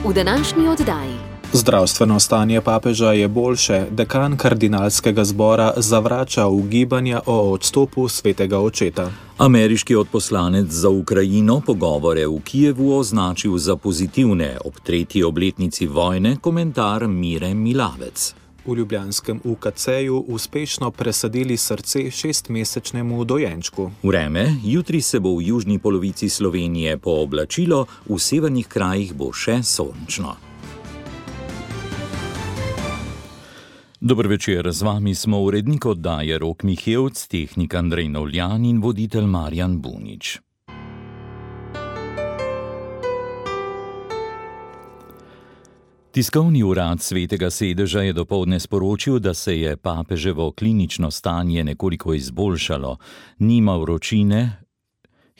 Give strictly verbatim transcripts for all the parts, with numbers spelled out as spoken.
V današnji oddaji. Zdravstveno stanje papeža je boljše, dekan kardinalskega zbora zavrača ugibanja o odstopu svetega očeta. Ameriški odposlanec za Ukrajino pogovore v Kijevu označil za pozitivne ob tretji obletnici vojne, komentar Mire Milavec. V ljubljanskem U K C-ju uspešno presadili srce šestmesečnemu dojenčku. Vreme, jutri se bo v južni polovici Slovenije pooblačilo, v severnih krajih bo še sončno. Dober večer, z vami smo urednik oddaje Rok Mihevc, tehnik Andrej Novljan in voditelj Marjan Bunič. Tiskovni urad Svetega sedeža je dopoldne sporočil, da se je papeževo klinično stanje nekoliko izboljšalo. Nima vročine,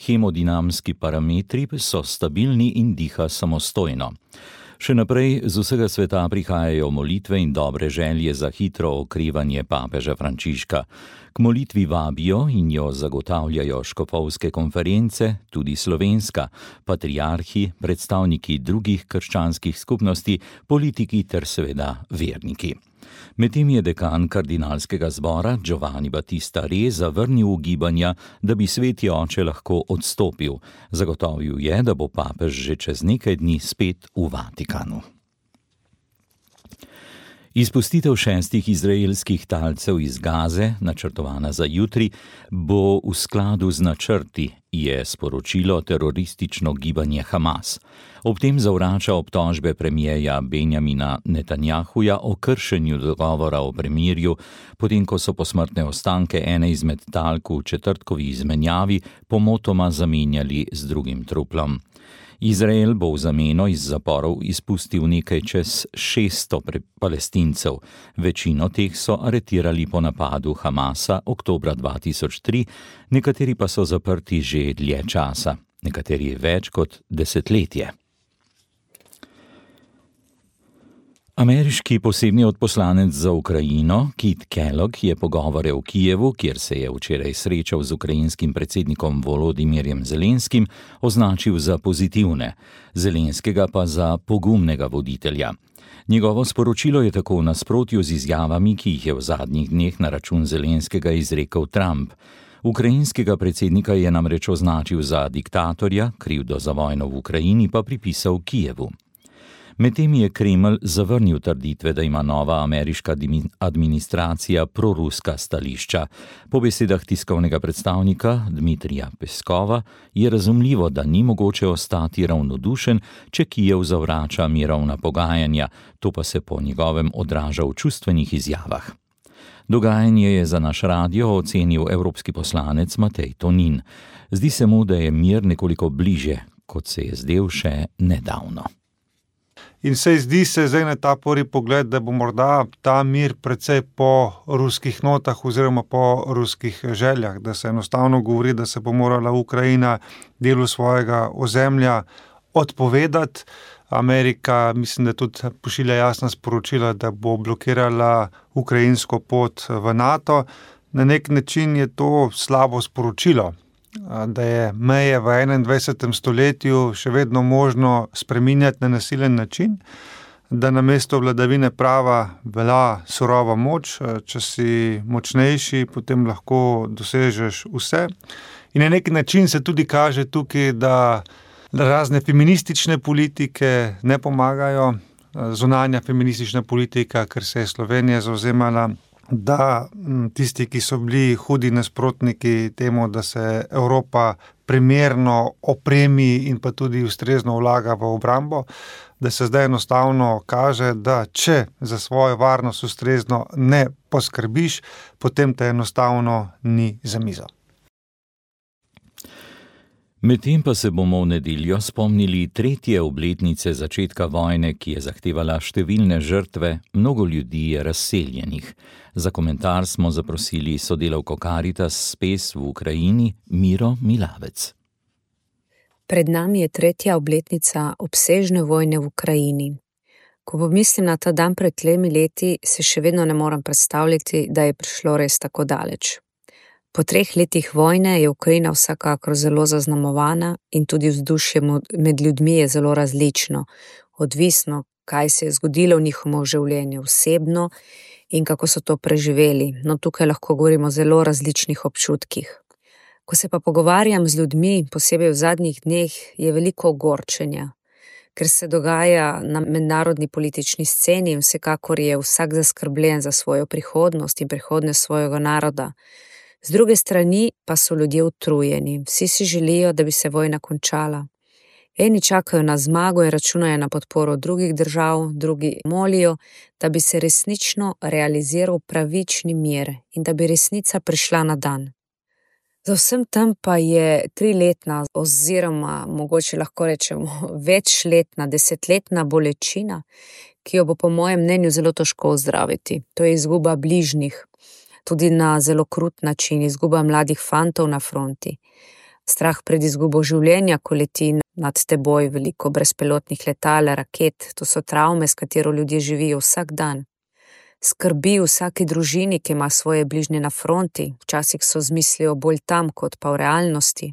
hemodinamski parametri so stabilni in diha samostojno. Še naprej z vsega sveta prihajajo molitve in dobre želje za hitro okrevanje papeža Frančiška. K molitvi vabijo in jo zagotavljajo škofovske konference, tudi slovenska, patriarhi, predstavniki drugih krščanskih skupnosti, politiki ter seveda verniki. Medtem je dekan kardinalskega zbora Giovanni Battista Re zavrnil ugibanja, da bi sveti oče lahko odstopil. Zagotovil je, da bo papež že čez nekaj dni spet v Vatikanu. Izpustitev šestih izraelskih talcev iz Gaze, načrtovana za jutri, bo v skladu z načrti, je sporočilo teroristično gibanje Hamas. Ob tem zavrača obtožbe premierja Benjamina Netanjahuja o kršenju dogovora o premirju, potem ko so posmrtne ostanke ene izmed talk v četrtkovi izmenjavi pomotoma zamenjali z drugim truplom. Izrael bo v zameno iz zaporov izpustil nekaj čez šeststo palestincev. Večino teh so aretirali po napadu Hamasa oktobra dva tisoč tri, nekateri pa so zaprti že dlje časa, nekateri več kot desetletje. Ameriški posebni odposlanec za Ukrajino, Kit Kellogg, je pogovore v Kijevu, kjer se je včeraj srečal z ukrajinskim predsednikom Volodimirjem Zelenskim, označil za pozitivne, Zelenskega pa za pogumnega voditelja. Njegovo sporočilo je tako v nasprotju z izjavami, ki jih je v zadnjih dneh na račun Zelenskega izrekel Trump. Ukrajinskega predsednika je namreč označil za diktatorja, krivdo za vojno v Ukrajini pa pripisal Kijevu. Medtem je Kremelj zavrnil trditve, da ima nova ameriška administracija proruska stališča. Po besedah tiskovnega predstavnika Dmitrija Peskova je razumljivo, da ni mogoče ostati ravnodušen, če Kijev zavrača mirovna pogajanja, to pa se po njegovem odraža v čustvenih izjavah. Dogajanje je za naš radio ocenil evropski poslanec Matej Tonin. Zdi se mu, da je mir nekoliko bliže, kot se je zdel še nedavno. In se zdi se zdaj na ta prvi pogled, da bo morda ta mir precej po ruskih notah oziroma po ruskih željah, da se enostavno govori, da se bo morala Ukrajina delu svojega ozemlja odpovedati. Amerika, mislim, da tudi pošilja jasna sporočila, da bo blokirala ukrajinsko pot v NATO. Na nek način je to slabo sporočilo, da je meje v enaindvajsetem stoletju še vedno možno spreminjati na nasilen način, da namesto vladavine prava velja surova moč, če si močnejši, potem lahko dosežeš vse. In na nek način se tudi kaže tukaj, da razne feministične politike ne pomagajo. Zunanja feministična politika, ker se je Slovenija zavzemala, da tisti, ki so bili hudi nasprotniki temu, da se Evropa primerno opremi in pa tudi ustrezno vlaga v obrambo, da se zdaj enostavno kaže, da če za svojo varnost ustrezno ne poskrbiš, potem te enostavno ni za mizo. Medtem pa se bomo v nedeljo spomnili tretje obletnice začetka vojne, ki je zahtevala številne žrtve, mnogo ljudi je razseljenih. Za komentar smo zaprosili sodelavko Caritas Spes v Ukrajini Miro Milavec. Pred nami je tretja obletnica obsežne vojne v Ukrajini. Ko pomislim na ta dan pred tremi leti, se še vedno ne morem predstavljati, da je prišlo res tako daleč. Po treh letih vojne je Ukrajina vsekakor zelo zaznamovana in tudi vzdušje med ljudmi je zelo različno. odvisno, kaj se je zgodilo v njihovem življenju osebno in kako so to preživeli. No, tukaj lahko govorimo o zelo različnih občutkih. Ko se pa pogovarjam z ljudmi, posebej v zadnjih dneh, je veliko ogorčenja, ker se dogaja na mednarodni politični sceni in vsekakor je vsak zaskrbljen za svojo prihodnost in prihodnost svojega naroda. Z druge strani pa so ljudje utrujeni, vsi si želijo, da bi se vojna končala. Eni čakajo na zmago in računajo na podporo drugih držav, drugi molijo, da bi se resnično realiziral pravični mir in da bi resnica prišla na dan. Za vsem tem pa je triletna oziroma mogoče lahko rečemo večletna, desetletna bolečina, ki jo bo po mojem mnenju zelo težko ozdraviti. To je izguba bližnjih, tudi na zelo krut način, izguba mladih fantov na fronti. Strah pred izgubo življenja, ko leti nad teboj veliko brezpilotnih letal, raket, to so travme, s katero ljudje živijo vsak dan. Skrbi vsaki družini, ki ima svoje bližnje na fronti, včasih so z mislijo bolj tam, kot pa v realnosti.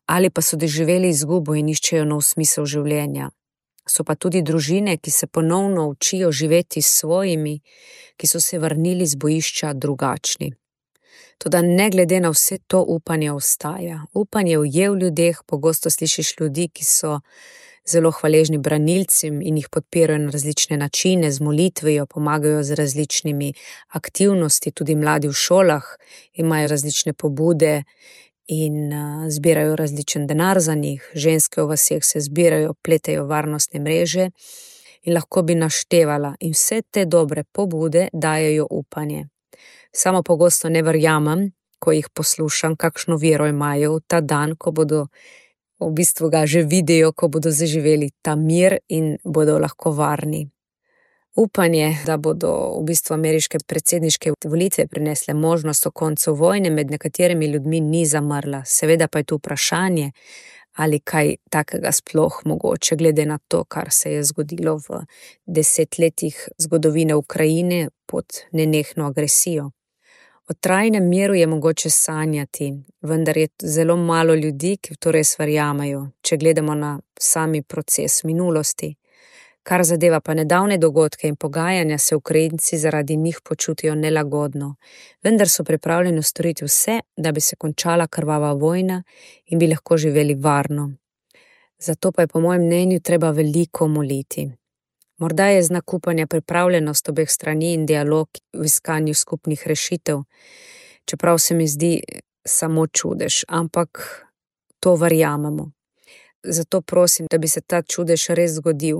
Ali pa so doživeli izgubo in iščejo nov smisel življenja. So pa tudi družine, ki se ponovno učijo živeti s svojimi, ki so se vrnili z bojišča drugačni. Toda ne glede na vse to, upanje ostaja. Upanje je v ljudeh, pogosto slišiš ljudi, ki so zelo hvaležni branilcem in jih podpirajo na različne načine, z molitvijo, pomagajo z različnimi aktivnosti, tudi mladi v šolah imajo različne pobude in uh, zbirajo različen denar za njih, ženske v vaseh se zbirajo, pletejo varnostne mreže in lahko bi naštevala in vse te dobre pobude dajejo upanje. Samo pogosto ne verjamem, ko jih poslušam, kakšno vero imajo v ta dan, ko bodo v bistvu ga že vidijo, ko bodo zaživeli ta mir in bodo lahko varni. Upanje, da bodo v bistvu ameriške predsedniške volitve prinesle možnost o koncu vojne med nekaterimi ljudmi, ni zamrla. Seveda pa je tu vprašanje, ali kaj takega sploh mogoče, glede na to, kar se je zgodilo v desetletjih zgodovine Ukrajine pod nenehno agresijo. O trajnem miru je mogoče sanjati, vendar je zelo malo ljudi, ki v to res verjamajo, če gledamo na sami proces minulosti. Kar zadeva pa nedavne dogodke in pogajanja, se Ukrajinci zaradi njih počutijo nelagodno, vendar so pripravljeni storiti vse, da bi se končala krvava vojna in bi lahko živeli varno. Zato pa je po mojem mnenju treba veliko moliti. Morda je znak upanja pripravljenost obeh strani in dialog v iskanju skupnih rešitev, čeprav se mi zdi samo čudež, ampak to verjamemo. Zato prosim, da bi se ta čudež res zgodil.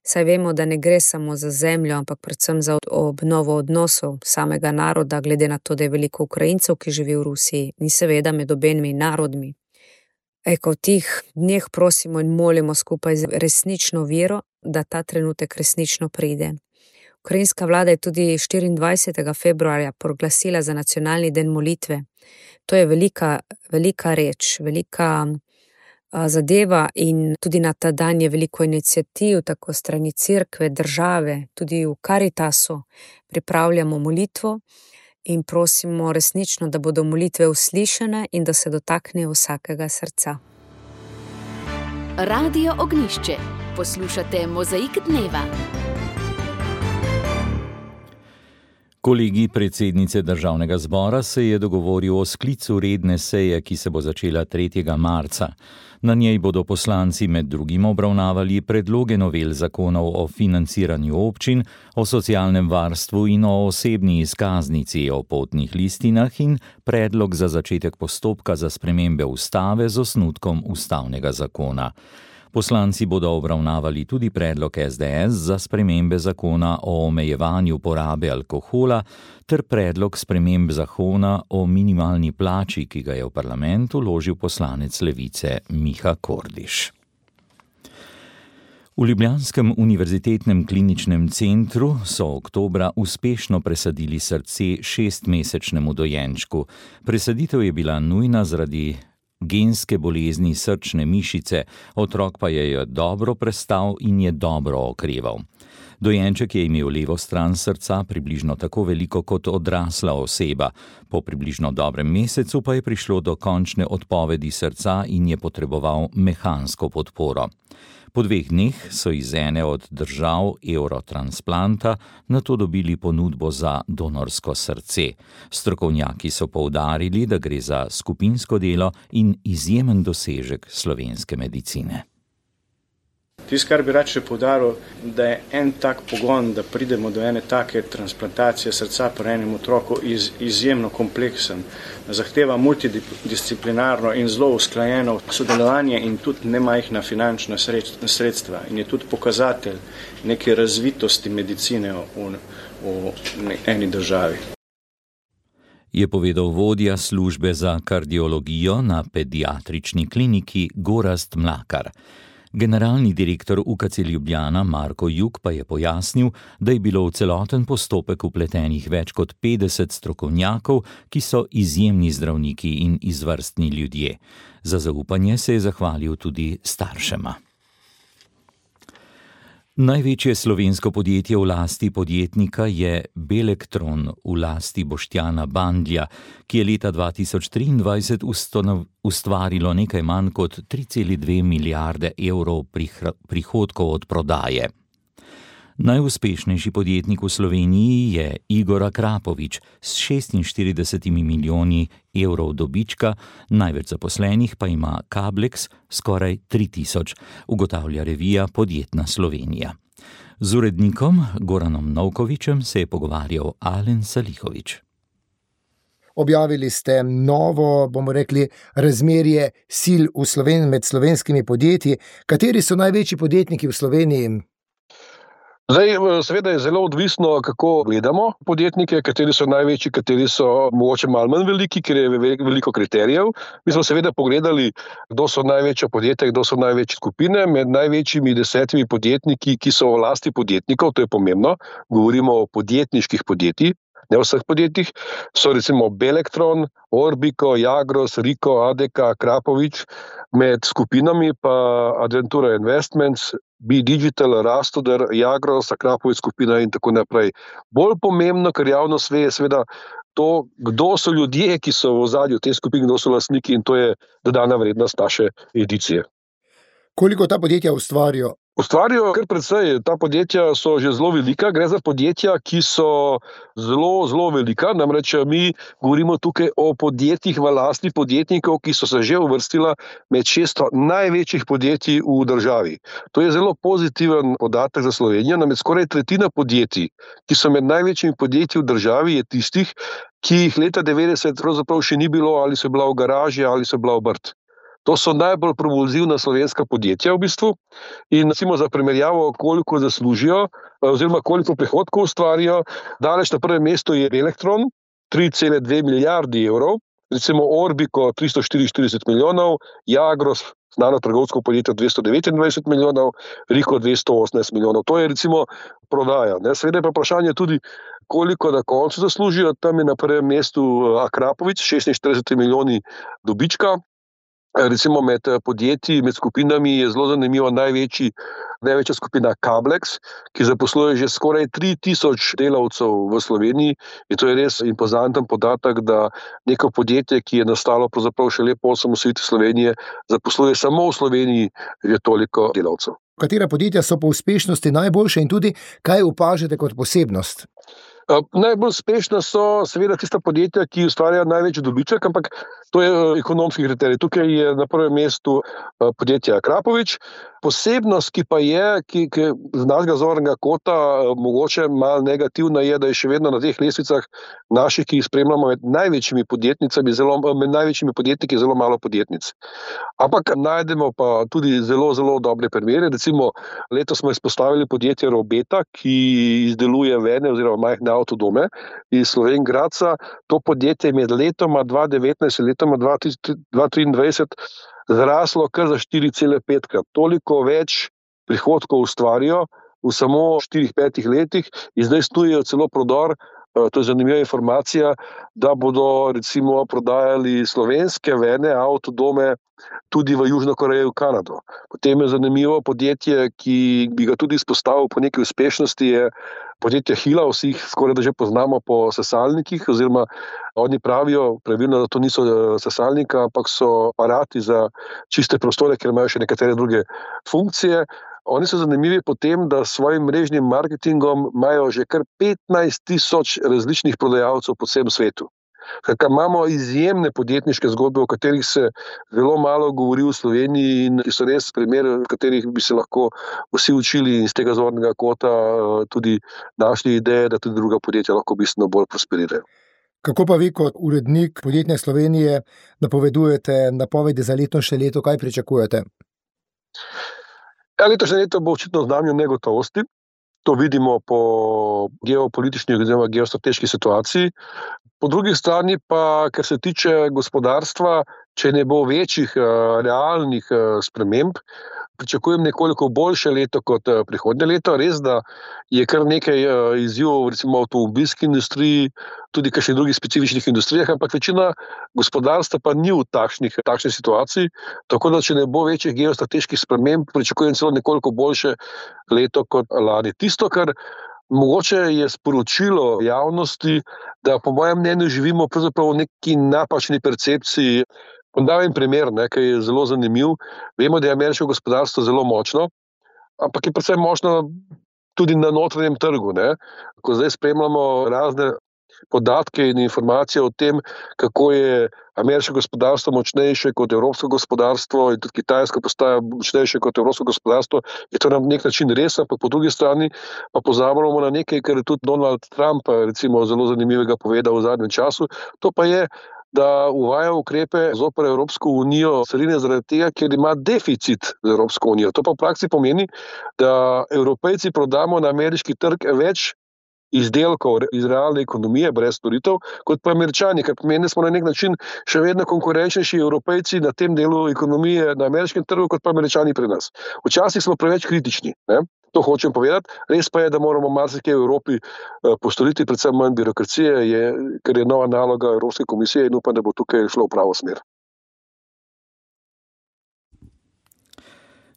Saj vemo, da ne gre samo za zemljo, ampak predvsem za obnovo odnosov samega naroda, glede na to, da je veliko Ukrajincev, ki živi v Rusiji, in seveda med obenimi narodmi. Eko, v tih dneh prosimo in molimo skupaj z resnično vero, da ta trenutek resnično pride. Ukrajinska vlada je tudi štiriindvajsetega februarja proglasila za nacionalni dan molitve. To je velika, velika reč, velika zadeva in tudi na ta dan je veliko iniciativ, tako strani cerkve, države, tudi v Karitasu pripravljamo molitvo in prosimo resnično, da bodo molitve uslišane in da se dotaknejo vsakega srca. Radio Ognjišče. Poslušate Mozaik dneva. Kolegij predsednice Državnega zbora se je dogovoril o sklicu redne seje, ki se bo začela tretjega marca. Na njej bodo poslanci med drugim obravnavali predloge novel zakonov o financiranju občin, o socialnem varstvu in o osebni izkaznici, o potnih listinah in predlog za začetek postopka za spremembe ustave z osnutkom ustavnega zakona. Poslanci bodo obravnavali tudi predlog es de es za spremembe zakona o omejevanju porabe alkohola ter predlog sprememb zakona o minimalni plači, ki ga je v parlament vložil poslanec Levice Miha Kordiš. V ljubljanskem univerzitetnem kliničnem centru so oktobra uspešno presadili srce šestmesečnemu dojenčku. Presaditev je bila nujna zaradi genske bolezni srčne mišice, otrok pa je jo dobro prestal in je dobro okreval. Dojenček je imel levo stran srca približno tako veliko kot odrasla oseba. Po približno dobrem mesecu pa je prišlo do končne odpovedi srca in je potreboval mehansko podporo. Po dveh dneh so iz ene od držav Eurotransplanta nato dobili ponudbo za donorsko srce. Strokovnjaki so poudarili, da gre za skupinsko delo in izjemen dosežek slovenske medicine. Tisto, kar bi rad še poudaril, da je en tak pogon, da pridemo do ene take transplantacije srca pri enem otroku iz, izjemno kompleksen. Zahteva multidisciplinarno in zelo usklajeno sodelovanje in tudi nemajhna finančna sredstva. In je tudi pokazatelj neke razvitosti medicine v, v eni državi. Je povedal vodja službe za kardiologijo na pediatrični kliniki Gorazd Mlakar. Generalni direktor U K C Ljubljana Marko Jug pa je pojasnil, da je bilo v celoten postopek vpletenih več kot petdeset strokovnjakov, ki so izjemni zdravniki in izvrstni ljudje. Za zaupanje se je zahvalil tudi staršema. Največje slovensko podjetje v lasti podjetnika je Belektron v lasti Boštjana Bandlja, ki je leta dva tisoč triindvajset ustvarilo nekaj manj kot tri cele dve milijarde evrov prihodkov od prodaje. Najuspešnejši podjetnik v Sloveniji je Igor Akrapovič s šestinštiridesetimi milijoni evrov dobička, največ zaposlenih pa ima Kablex skoraj tri tisoč, ugotavlja revija Podjetna Slovenija. Z urednikom Goranom Novkovičem se je pogovarjal Alen Salihovič. Objavili ste novo, bomo rekli, razmerje sil v Sloveniji med slovenskimi podjetji. Kateri so največji podjetniki v Sloveniji? Zdaj, seveda je zelo odvisno, kako gledamo podjetnike, kateri so največji, kateri so mogoče malo manj veliki, ker je veliko kriterijev. Mi smo seveda pogledali, kdo so največja podjetja, kdo so največje skupine. Med največjimi desetimi podjetniki, ki so v lasti podjetnikov, to je pomembno, govorimo o podjetniških podjetjih, ne o vseh podjetjih, so recimo Belektron, Orbico, Jagros, Riko, A D K, Krapovič, med skupinami pa Adventura Investments, Be Digital, Rastoder, Jagros, Krapovič skupina in tako naprej. Bolj pomembno, kar javnost ve, je seveda to, kdo so ljudje, ki so v ozadju te skupine, kdo so lastniki, in to je dodana vrednost naše edicije. Koliko ta podjetja ustvarijo? Ustvarijo kar precej, ta podjetja so že zelo velika, gre za podjetja, ki so zelo, zelo velika, namreč mi govorimo tukaj o podjetjih v lasti podjetnikov, ki so se že uvrstila med šeststo največjih podjetij v državi. To je zelo pozitiven podatek za Slovenijo, namreč skoraj tretjina podjetij, ki so med največjimi podjetji v državi, je tistih, ki jih leta devetdeset pravzaprav še ni bilo, ali so bila v garaži, ali so bila obrt. To so najbolj propulzivna slovenska podjetja v bistvu in recimo za primerjavo, koliko zaslužijo oziroma koliko prihodkov ustvarijo, daleč na prvem mestu je Belektron, tri cele dve milijardi evrov, recimo Orbico tristo štiriinštirideset milijonov, Jagros, znano trgovsko podjetje dvesto devetindvajset milijonov, Riko dvesto osemnajst milijonov. To je recimo prodaja. Ne? Seveda je pa vprašanje tudi, koliko na koncu zaslužijo. Tam je na prvem mestu Akrapovič, šestinštirideset milijoni dobička. Recimo med podjetji, med skupinami je zelo zanimivo največji, največja skupina Kablex, ki zaposluje že skoraj tri tisoč delavcev v Sloveniji in to je res impozanten podatek, da neko podjetje, ki je nastalo pravzaprav šele po osamosvojitvi Slovenije, zaposluje samo v Sloveniji že toliko delavcev. Katera podjetja so po uspešnosti najboljše in tudi kaj opažate kot posebnost? Najbolj uspešna so seveda tista podjetja, ki ustvarjajo največji dobiček, ampak to je ekonomski kriterij. Tukaj je na prvem mestu podjetje Akrapovič. Posebnost, ki pa je, ki, ki z našega zornega kota mogoče malo negativna, je, da je še vedno na teh lestvicah naših, ki jih spremljamo med največjimi podjetnicami, zelo, med največjimi podjetniki zelo malo podjetnic. Ampak najdemo pa tudi zelo, zelo dobre primere. Recimo letos smo izpostavili podjetje Robeta, ki izdeluje vene oziroma majhne avtodome iz Slovenj Gradca. To podjetje je med letoma dva tisoč devetnajst in letoma dva tisoč triindvajset zraslo kar za štiri cele pet krat. Toliko več prihodkov ustvarijo v samo štirih, petih letih in zdaj snujejo celo prodor to je zanimiva informacija, da bodo recimo prodajali slovenske vene, avtodome tudi v Južno Korejo, v Kanado. Potem je zanimivo podjetje, ki bi ga tudi izpostavil po neki uspešnosti, je podjetje Hila, vsi jih skoraj da že poznamo po sesalnikih, oziroma oni pravijo pravilno, da to niso sesalnika, ampak so aparati za čiste prostore, ker imajo še nekatere druge funkcije. Oni so zanimivi po tem, da s svojim mrežnim marketingom imajo že kar petnajst tisoč različnih prodajalcev po vsem svetu. Kakor imamo izjemne podjetniške zgodbe, o katerih se zelo malo govori v Sloveniji in ki so res primer, v katerih bi se lahko vsi učili in z tega zornega kota tudi našli ideje, da tudi druga podjetja lahko bistveno bolj prosperirajo. Kako pa vi kot urednik Podjetne Slovenije napovedujete napovedi za letošnje leto, kaj pričakujete? Ja, letošnje leto bo očitno v znamenju negotovosti. To vidimo po geopolitični oziroma geostrateški situaciji. Po drugi strani pa, ker se tiče gospodarstva, če ne bo večjih realnih sprememb, pričakujem nekoliko boljše leto kot prihodnje leto. Res, da je kar nekaj izzivov, recimo v avtomobilski industriji, tudi v kakšnih drugih specifičnih industrijah, ampak večina gospodarstva pa ni v takšnih, takšni situaciji. Tako da, če ne bo večjih geostrateških sprememb, pričakujem celo nekoliko boljše leto kot lani. Tisto, kar mogoče je sporočilo javnosti, da po mojem mnenju živimo pravzaprav v neki napačni percepciji. Podam primer, ne, ki je zelo zanimiv. Vemo, da je ameriško gospodarstvo zelo močno, ampak je predvsem močno tudi na notranjem trgu. Ne. Ko zdaj spremljamo razne podatke in informacije o tem, kako je ameriško gospodarstvo močnejše kot evropsko gospodarstvo in tudi kitajsko postaja močnejše kot evropsko gospodarstvo, je to na nek način res, ampak po drugi strani pa pozabljamo na nekaj, kar je tudi Donald Trump recimo zelo zanimivega povedal v zadnjem času. To pa je, da uvaja ukrepe zoper Evropsko unijo carine zaradi tega, ker ima deficit z Evropsko unijo. To pa v praksi pomeni, da Evropejci prodamo na ameriški trg več izdelkov iz realne ekonomije, brez storitev, kot pa Američani, kar pomeni, da smo na nek način še vedno konkurenčnejši Evropejci na tem delu ekonomije na ameriškem trgu, kot pa Američani pri nas. Včasih smo preveč kritični, ne? To hočem povedati. Res pa je, da moramo marsikaj v Evropi postoriti, predvsem manj birokracije, je, ker je nova naloga Evropske komisije in upam, da bo tukaj šlo v pravo smer.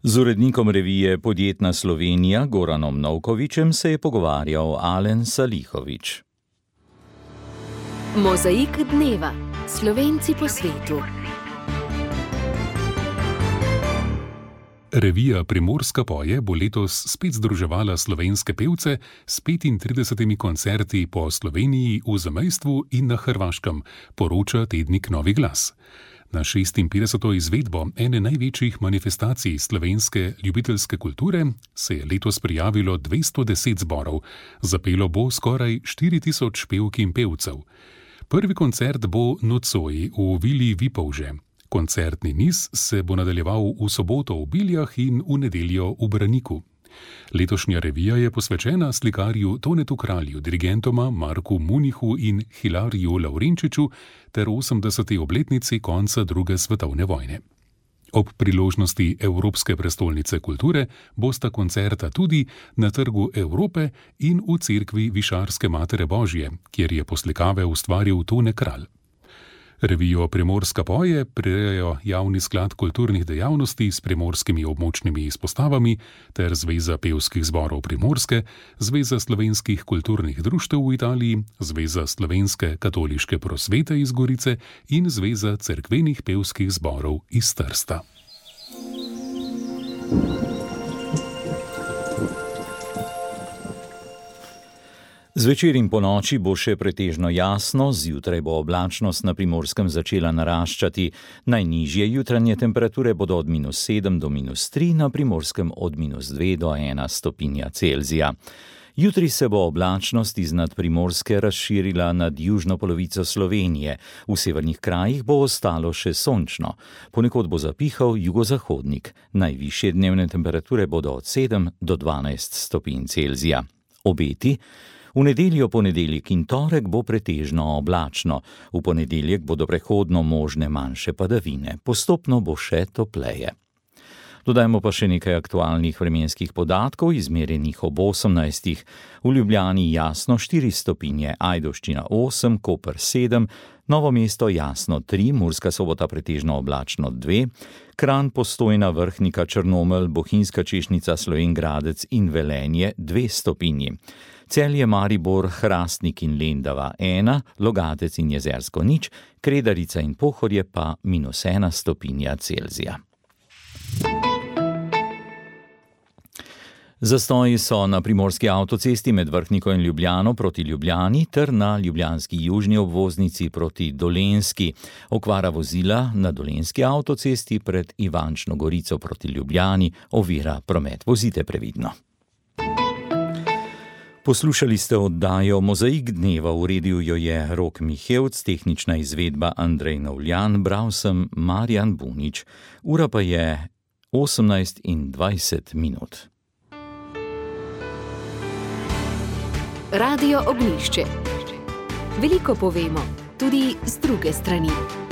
Z urednikom revije Podjetna Slovenija Goranom Novkovićem se je pogovarjal Alen Salihović. Mozaik dneva. Slovenci po svetu. Revija Primorska poje bo letos spet združevala slovenske pevce s petintridesetimi koncerti po Sloveniji, v zamejstvu in na Hrvaškem, poroča tednik Novi glas. Na šestinpetdeseto izvedbo ene največjih manifestacij slovenske ljubiteljske kulture se je letos prijavilo dvesto deset zborov, zapelo bo skoraj štiri tisoč pevk in pevcev. Prvi koncert bo nocoj v Vili Vipavže. Koncertni niz se bo nadaljeval v soboto v Biljah in v nedeljo v Braniku. Letošnja revija je posvečena slikarju Tonetu Kralju, dirigentoma Marku Munihu in Hilariju Lavrenčiču ter osemdeseti obletnici konca druge svetovne vojne. Ob priložnosti Evropske prestolnice kulture bosta koncerta tudi na Trgu Evrope in v cerkvi Višarske Matere Božje, kjer je poslikave ustvaril Tone Kralj. Revijo Primorska poje prirejajo Javni sklad kulturnih dejavnosti s primorskimi območnimi izpostavami ter Zveza pevskih zborov Primorske, Zveza slovenskih kulturnih društev v Italiji, Zveza slovenske katoliške prosvete iz Gorice in Zveza cerkvenih pevskih zborov iz Trsta. Zvečer in ponoči bo še pretežno jasno, zjutraj bo oblačnost na Primorskem začela naraščati. Najnižje jutranje temperature bodo od minus sedem do minus tri, na Primorskem od minus dve do ena stopinja Celzija. Jutri se bo oblačnost iznad Primorske razširila nad južno polovico Slovenije. V severnih krajih bo ostalo še sončno. Ponekod bo zapihal jugozahodnik. Najvišje dnevne temperature bodo od sedem do dvanajst stopinj Celzija. Obeti: v nedeljo, ponedeljek in torek bo pretežno oblačno. V ponedeljek bodo prehodno možne manjše padavine. Postopno bo še topleje. Dodajmo pa še nekaj aktualnih vremenskih podatkov, izmerjenih ob osemnajstih. V Ljubljani jasno štiri stopinje, Ajdovščina osem, Koper sedem, Novo mesto jasno tri, Murska Sobota pretežno oblačno dve, Kranj, Postojna, Vrhnika, Črnomelj, Bohinjska Češnica, Slovenj Gradec in Velenje dve stopinji. Celje, Maribor, Hrastnik in Lendava ena, Logatec in Jezersko nič, Kredarica in Pohorje pa minus ena stopinja Celzija. Zastoji so na primorski avtocesti med Vrhniko in Ljubljano proti Ljubljani ter na ljubljanski južni obvoznici proti Dolenjski. Okvara vozila na dolenjski avtocesti pred Ivančno Gorico proti Ljubljani ovira promet. Vozite previdno. Poslušali ste oddajo Mozaik dneva, uredil jo je Rok Mihevc, tehnična izvedba Andrej Novljan, bral sem Marjan Bunič. Ura pa je osemnajst in dvajset minut. Radio Ognjišče. Veliko povemo, tudi z druge strani.